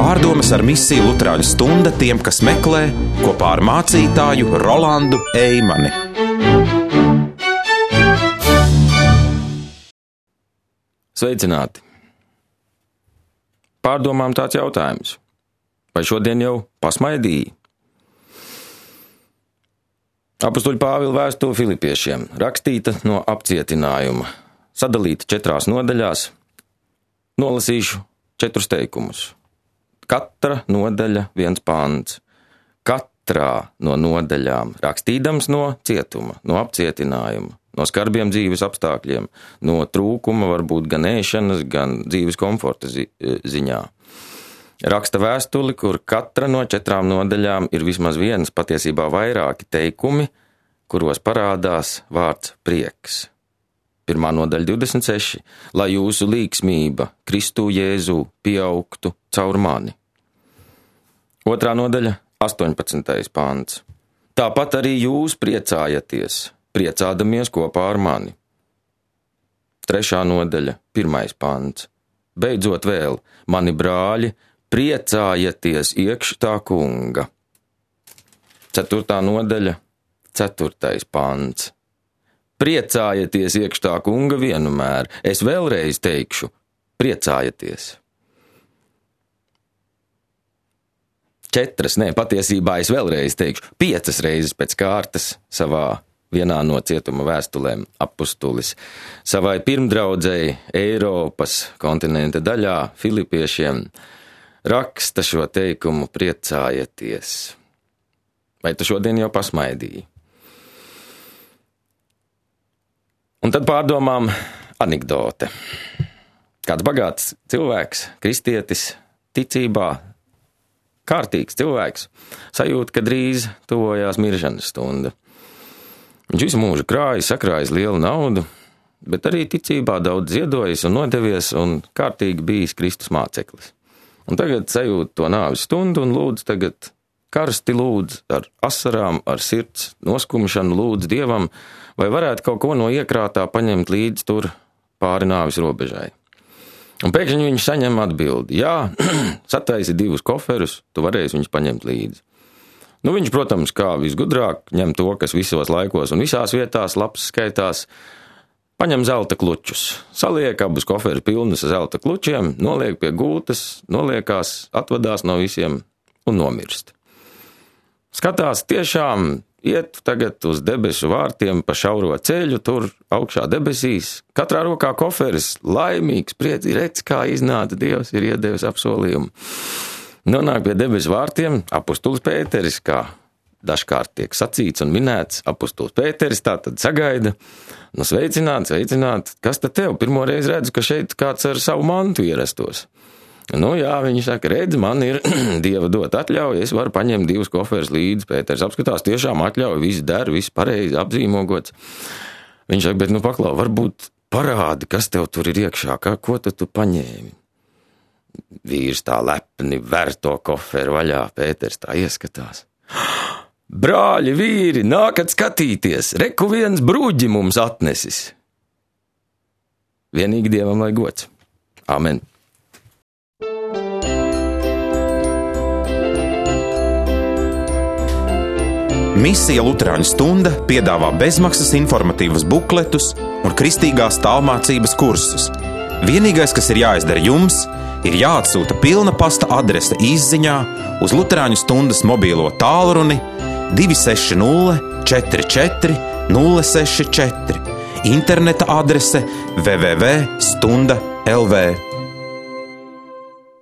Pārdomas ar misiju Luterāņu stunda tiem, kas meklē, kopā ar mācītāju Rolandu Eimani. Sveicināti! Pārdomām tāds jautājums. Vai šodien jau pasmaidīji? Apustuļa Pāvila vēstule Filipiešiem, rakstīta no apcietinājuma, sadalīta 4 nodaļās. Nolasīšu 4 teikumus. Katra nodaļa 1 pants. Katrā no nodaļām rakstīdams no cietuma, no apcietinājuma, no skarbiem dzīves apstākļiem, no trūkuma varbūt gan ēšanas, gan dzīves komforta ziņā. Raksta vēstuli, kur katra no 4 nodaļām ir vismaz viens, patiesībā vairāki teikumi, kuros parādās vārds prieks. 1. nodaļa 26. Lai jūsu līgsmība Kristu Jēzu pieaugtu caur mani. 2. nodaļa 18. pants. Tāpat arī jūs priecājaties, priecādamies kopā ar mani. 3. nodaļa 1. pants. Beidzot vēl, mani brāļi, priecājieties iekš tā kunga. 4. nodaļa 4. pants. Priecājieties iekš tā kunga vienmēr. Es vēlreiz teikšu, priecājieties. 4, patiesībā es vēlreiz teikšu, 5 reizes pēc kārtas savā vienā no cietuma vēstulēm apustulis savai pirmdraudzei Eiropas kontinenta daļā Filipiešiem raksta šo teikumu priecājieties. Vai tu šodien jau pasmaidīji? Un tad pārdomām anekdote. Kāds bagāts cilvēks, kristietis, ticībā, kārtīgs cilvēks, sajūt, ka drīz tuvojās miršanas stunda. Viņš visu mūžu krājis, sakrājis lielu naudu, bet arī ticībā daudz ziedojis un nodevies un kārtīgi bijis Kristus māceklis. Un tagad sajūt to nāves stundu un lūdz tagad karsti lūdz ar asarām, ar sirds noskumšanu lūdz Dievam, vai varētu kaut ko no iekrātā paņemt līdz tur pāri nāves robežai. Un pēkšņi viņš saņem atbildi, jā, sataisi 2 koferus, tu varēsi viņus paņemt līdzi. Nu, viņš, protams, kā visgudrāk, ņem to, kas visos laikos un visās vietās labs skaitās, paņem zelta klučus, saliek abus koferus pilnus ar zelta klučiem, noliek pie gultas, noliekās, atvadās no visiem un nomirst. Skatās tiešām iet tagad uz debesu vārtiem pa šauro ceļu, tur augšā debesīs, katrā rokā koferis, laimīgs, priecīgs, redz, kā iznāca Dievs, ir iedevis apsolījumu. Nonāk pie debesu vārtiem apustulis Pēteris, kā dažkārt tiek sacīts un minēts, apustulis Pēteris tā tad sagaida, nu sveicināt, kas tad tev? Pirmoreiz redzu, ka šeit kāds ar savu mantu ierastos. Nu jā, viņš saka, redz, man ir Dieva dot atļauja, es varu paņemt 2 koferus līdzi. Pēters apskatās, tiešām atļauja, viss der, viss pareizi apzīmogots. Viņš saka, bet nu paklau, varbūt parādi, kas tev tur ir iekšā, ko tu paņēmi? Vīrs tā lepni ver to koferu vaļā, Pēters tā ieskatās. Brāļi, vīri, nākat skatīties, reku viens bruģi mums atnesis. Vienīgi Dievam lai gods. Amen. Misija Luterāņu stunda piedāvā bezmaksas informatīvas bukletus un kristīgās tālmācības kursus. Vienīgais, kas ir jāizdara jums, ir jāatsūta pilna pasta adrese īsziņā uz Luterāņu stundas mobīlo tālruni 260 44 064, interneta adrese www.stunda.lv.